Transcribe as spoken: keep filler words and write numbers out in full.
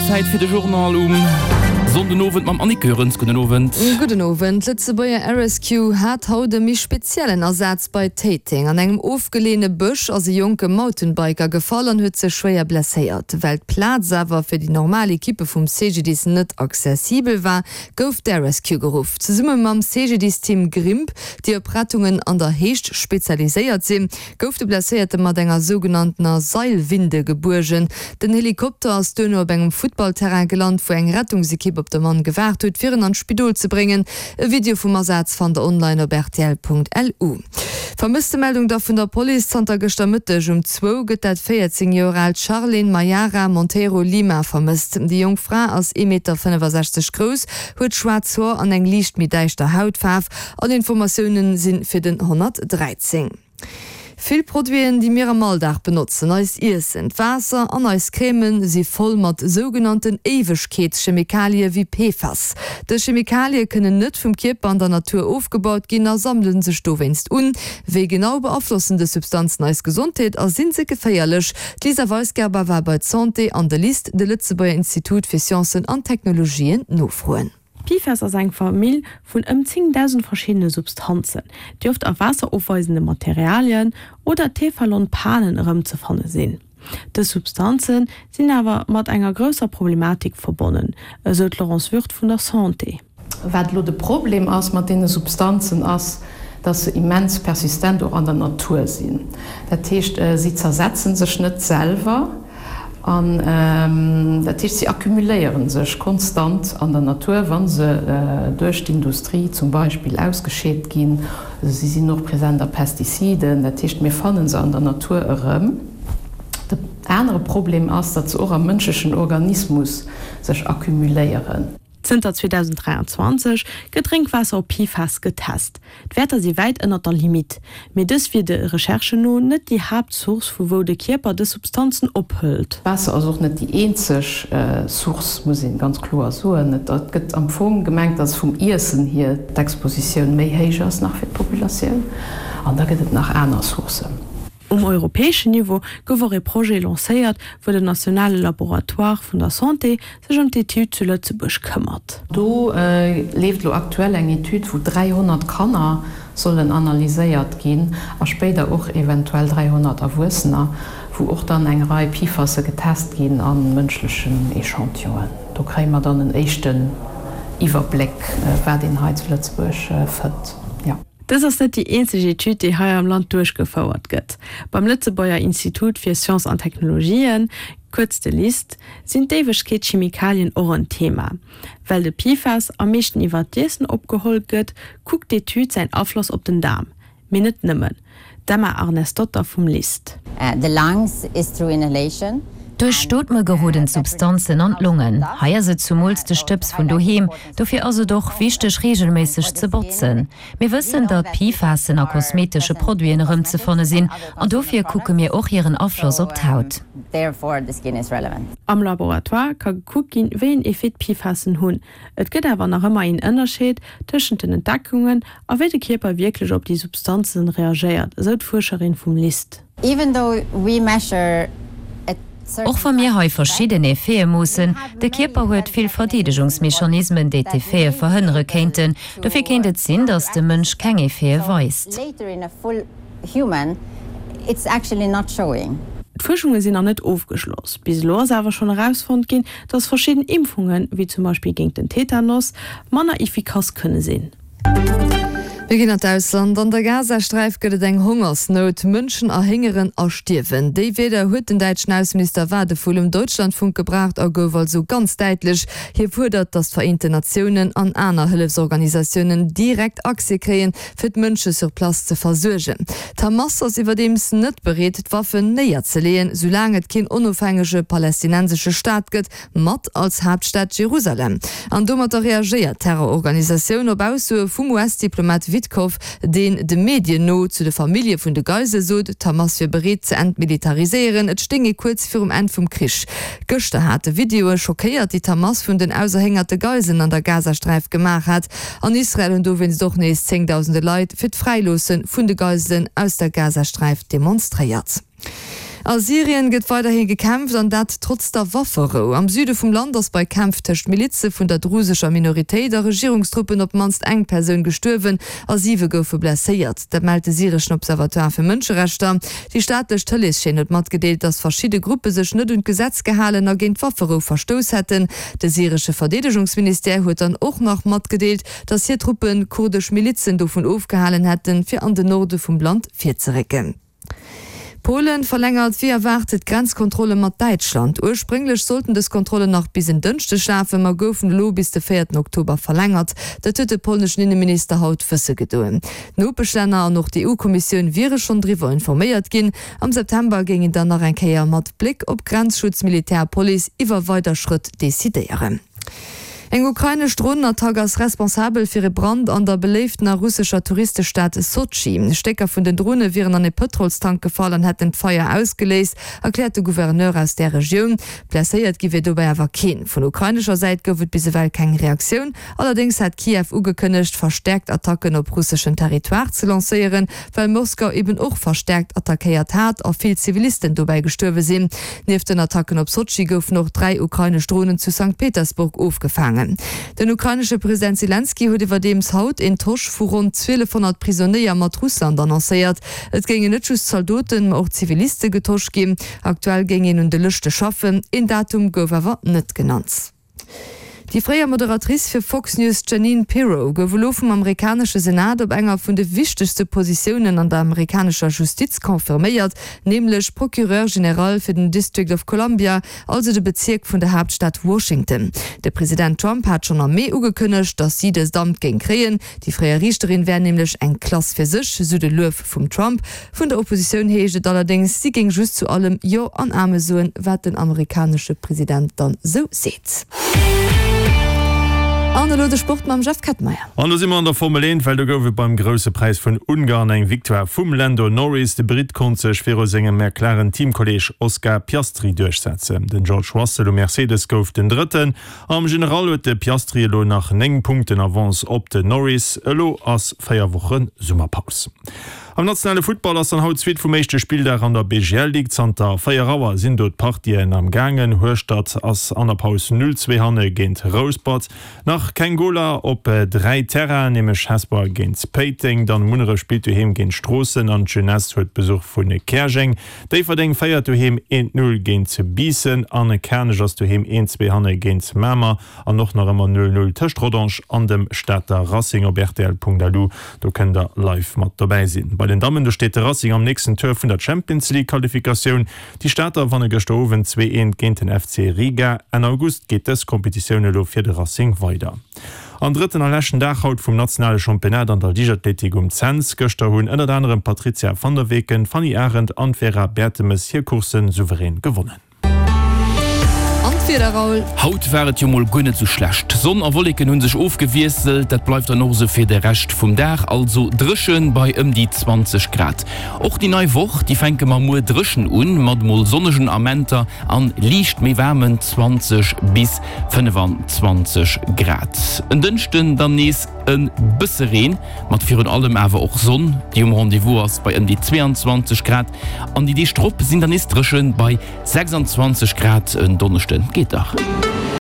Zäit fir de Journal um Sonndenowend mam Annick Goerens. Gudden Owend. Gudden Owend. D'Lëtzebuerger Air Rescue hat haut e méi speziellen Asaz bei Téiteng. An engem ofgeleeëne Bësch ass e jonke Mountainbiker gefall an huet sech schwéier blesséiert. Well d'Plaz awer fir déi normal Ekippe vum C G D I S net accessibel war, gouf d'Air Rescue geruff. Zesumme mam C G D I S-Team Grimp, déi op Rettungen an der Héicht spezialiséiert sinn, gouf de Blesséierte mat enger sougenannter Seilwinde gebuergen. Den Helikopter ass duerno op engem Futtballterrain gelant, wou eng Rettungsekipp op de Mann gewaart huet, fir en an d'Spidol ze bréngen. E Video vum Asaz fannt der online op R T L Punkt L U. Vermësstemeldung da vun der Police: Zanter gëschter Mëtteg um zwou gëtt dat véierzéng Joer aalt Charlene Mayara Monteiro Lima vermësst. Déi jonk Fra ass ee Meter fënnefasechzeg grouss, huet schwaarz Hoer an eng liicht méi däischter Hautfaarf. All Informatioune si fir den honnertdräizéng. Vill Produiten, déi mir am Alldag benotzen, eist Iessen, d'Waasser an eis Crèmen, si voll mat sougenannten Éiwegkeetschemikalie wéi P F A S. Dës Chemikalie kënnen net vum Kierper an der Natur ofgebaut ginn a sammele sech dowéinst un. Wéi genau beaflossen dës Substanzen eis Gesondheet a sinn se geféierlech? D'Lisa Weisgerber war bei d'Santé an de LIST, de Lëtzebuerger Institut fir Sciencen an Technologien, nofroen. P F A S ass eng Famill vun ëm zéngdausend verschiddene Substanzen, déi oft a waasserofweisende Materialien oder Tefalon-Panen erëmzefanne sinn. Dës Substanze sinn awer mat enger grousser Problematik verbonnen, esou d'Laurence Wirth vun der Santé. Wat lo de Problem ass mat deene Substanzen, ass, dass se immens persistent och an der Natur sinn. Dat heescht, si zersetzen sech net selwer an ähm, dat heescht, si akkumuléieren sech konstant an der Natur, wann se äh, duerch d'Industrie zum Beispill ausgescheet ginn. Si sinn och present a Pestiziden, dat heescht, mir fannen se an der Natur erëm. De anere Problem ass, datt se och am mënschlechen Organismus sech akkumuléieren. Zënter zweedausend dräianzwanzeg gëtt Drénkwaasser op P F A S getest. D'Wäerter si wäit ënner der Limit. Mee dës wier de Recherchen no net déi Haaptsource, vu wou de Kierper dës Substanzen ophëlt. Waasser ass och net déi eenzeg äh, Source, muss ee ganz kloer soen. Et gëtt am Fong gemengt, dass vum Iessen hier d'Expositioun méi héich ass nach fir d'Populatioun. An da gëtt et nach aner Sourcen. Um europäeschen Niveau gouf och e Projet lancéiert, wou den nationale Laboratoire vun der Santé sech ëm d'Etüd zu Lëtzebuerg këmmert. Do äh, leeft lo aktuell eng Etüd, wou dräihonnert Kanner sollen analyséiert ginn a spéider och eventuell dräihonnert Erwuessener, wou och dann eng Rei P F A Sse getest ginn a mënschlechen Echantillonen. Do kréie mer dann en éischten Iwwerbléck, äh, wat een hei zu Lëtzebuerg äh, fënnt. Ja. Dës ass net déi eenzeg Etüd, déi hei am Land duerchgefouert gëtt. Beim Lëtzebuerger Institut fir Sciences an Technologien, kuerz de LIST, sinn d'Éiwegkeetschemikalien och en Thema. Well de P F A S am meeschten iwwer d'Iessen opgeholl gëtt, kuckt d'Etüd säin Afloss op den Daarm. Mee net nëmmen. D'Emma Arnesdotter vum LIST. Uh, the lungs is through inhalation. Duerch d'Ootme geroden d'Substanzen an d'Longen. Hei ass et zumools de Stëbs vun doheem, dofir ass et och wichteg, reegelméisseg ze botzen. Mir wëssen, datt P F A Sen a kosmetesche Produiten erëmzefanne sinn, an dofir kucke mir och hiren Afloss op d'Haut. Therefore, the skin is relevant. Am Laboratoire ka gekuckt ginn, wéi een Effet d'P F A Sen hunn. Et gëtt awer nach ëmmer een Ënnerscheed tëschent den Entdeckungen a wéi de Kierper wierklech op déi Substanzen reagéiert, esou d'Fuerscherin vum LIST. Even though we measure a Och wa mir hei verschidden Effete moossen, de Kierper huet vill Verdeedegungsmechanismen, déi d'Effete verhënnere kéinten. Dofir kéint et sinn, datt de Mënsch keng Effete weist. Later in a full human, it's actually not showing. D'Fuerschunge sinn nach net ofgeschloss. Bis elo ass awer schonn erausfonnt ginn, datt verschidden Impfungen, wéi zum Beispill géint den Tetanus, manner effikass kënne sinn. Mir ginn an d'Ausland. An der Gazasträif gëtt et eng Hongersnout. Mënschen erhéngeren a stierwen. Déi Wierder huet den däitschen Ausseminister Wadephul um Deutschlandfunk gebraucht a gouf also ganz däitlech. Hie fuerdert, datt d'Vereenten Natiounen an aner Hëllefsorganisatiounen direkt Accès kréien, fir d'Mënsche sur place ze versuergen. D'Hamas ass iwwerdeems net bereet, d'Waffen néierzeleeën, soulaang et keen onofhängege palästinensesche Staat gëtt, mat als Haaptstad Jerusalem. An domatter reagéiert d'Terrororganisatioun op Aussoe vum U S-Diplomat Witkoff, deen de Medien no zu de Famillje vun de Geisele sot, d'Hamas wier bereet ze entmilitariséieren, et stéing ee kuerz virum Enn vum Krich. Gëschter hate Videoe schockéiert, déi d'Hamas vun den auserhéngerte Geiselen an der Gazasträif gemaach hat. An Israel hunn dowéinst och nees zéngdausende Leit fir d'Fräiloosse vun de Geiselen aus der Gazasträif demonstréiert. A Syrien gëtt weiderhi gekämpft, an dat trotz der Wafferou. Am Süde vum Land ass bei Kämpf tëscht Milize vun der drusescher Minoritéit a Regierungstruppen op d'mannst eng Persoun gestuerwen a siwe goufe blesséiert. Dat mellt de syreschen Observatoire fir Mënscherechter. Déi staatlech Tëleeschaîne huet matgedeelt, datt verschidde Gruppe sech net un d'Gesetz gehalen a géint d'Wafferou verstouss hätten. De syresche Verdeedegungsministère huet dann och nach matgedeelt, datt hir Truppe kurdesch Milizen dovun ofgehalen hätten, fir an den Norde vum Land virzerécken. Polen verlängert wéi erwaart d'Grenzkontrolle mat Däitschland. Ursprénglech sollten dës Kontrollen nach bis en Dënschdeg lafen, ma goufen elo bis de véierten Oktober verlängert. Dat huet de polneschen Inneminister haut wësse gedoen. D'Nopeschlänner an och d'EU-Kommissioun wiere schonn driwwer informéiert ginn. Am September géing een dann nach eng Kéier mat Bléck op Grenzschutz, Militär a Police iwwer weider Schrëtt decidéieren. Eng ukrainesch Dronenattack ass responsabel fir e Brand an der beléiftener russescher Touristestad Sotschi. Stécker vun den Drone wieren an e Pëtrolstank gefall an hätten d'Feier ausgeléist, erkläert de Gouverneur aus där Regioun. Blesséiert gi wier dobäi awer keen. Vun ukrainescher Säit gouf et bis ewell keng Reaktioun. Allerdéngs hat Kiew ugekënnegt, verstäerkt Attacken op russeschen Territoire ze lancéieren, well Moskau eben och verstäerkt attackéiert hat a vill Zivilisten dobäi gestuerwe sinn. Nieft den Attacken op Sotschi goufen och dräi ukrainesch Dronen zu Sankt Petersburg ofgefaangen. Den ukrainesche President Selenskyj huet iwwerdeems haut een Tosch vu ronn zwielefhonnert Prisonéier mat Russland annoncéiert. Et géingen net just Zaldoten, ma och Ziviliste getosch ginn. Aktuell géing een un de Lëschte schaffen, een Datum gouf awer net genannt. Déi fréier Moderatrice fir Fox News Jeanine Pirro gouf elo vum amerikanesche Senat op enger vun de wichtegste Positiounen an der amerikanescher Justiz confirméiert, nämlech Procureur général fir den District of Columbia, also de Bezierk vun der Haaptstad Washington. De President Trump hat schonn am Mee ugekënnegt, datt si dëst Amt géing kréien. Déi fréier Riichterin wär nämlech eng Klass fir sech, sou de Luef vum Trump. Vun der Oppositioun heescht et allerdéngs, si géing just zu allem Jo an Ame soen, wat den amerikanesche President dann sou seet. An elo de Sport mam Jeff Kettmeyer. An do si mer an der Formel eent, well do gouf et beim Grousse Präis vun Ungarn eng Victoire vum Lando Norris. De Britt konnt sech viru sengem McLaren-Teamkolleeg Oscar Piastri duerchsetzen. Den George Russell um Mercedes gouf den Drëtten. Am General huet de Piastri elo nach néng Punkten Avance op den Norris. Elo ass véier Woche Summerpaus. Am nationale Futtball ass dann haut d'Suite vum éischte Spilldag an der B G L Ligue. Zanter véier Auer sinn do d'Partien am gaangen. Hueschtert ass an der Paus null zwee hanne géint Rouspert. Nach keng Goler op dräi Terrainen, nämlech Hesper géint Péiteng, dann Munneref spillt doheem géint Stroossen an d'Jeunesse huet Besuch vu Käerjeng. Déifferdeng féiert doheem eent null géint Biissen an Kernech ass doheem eent zwee hanne géint Mamer an och nach ëmmer null null tëscht Rodange an dem Stater Racing op rtl.lu. Do kënnt der live mat dobäi sinn. Bei den Dammen, do steet de Racing am nächsten Tour vun der Champions League Qualifikatioun. Déi Stater wanne gëschter Owend zwee eent géint den F C Riga. Enn August geet dës Kompetitioun elo fir de Racing weider. An drëtten a leschten Dag haut vum nationale Championnat an der Liichtathletik um Cents. Gëschter hunn ënnert anerem Patrizia van der Weken, Fanny Arendt an Vera Bertemes hir Coursse souverän gewonnen. An d'Wieder, Raoul? Haut war et jo mol guer net sou schlecht. Sonn a Wolleken hu sech ofgewiesselt, dat bleift dann och sou fir de Rescht vum Dag, also dréchen bei ëm déi zwanzeg Grad. Och déi nei Woch, déi fänke mer muer dréchen un, mat mol sonnegen Amenter an liicht méi waarmen zwanzeg bis fënnefenzwanzeg Grad. En Dënschden dann nees e bësse Reen, mat virun allem awer och Sonn, déi um Rendez-vous ass bei ëm déi zweeanzwanzeg Grad. An déi Deeg drop sinn dann nees dréchen bei sechsanzwanzeg Grad en Donneschden. Geet dach.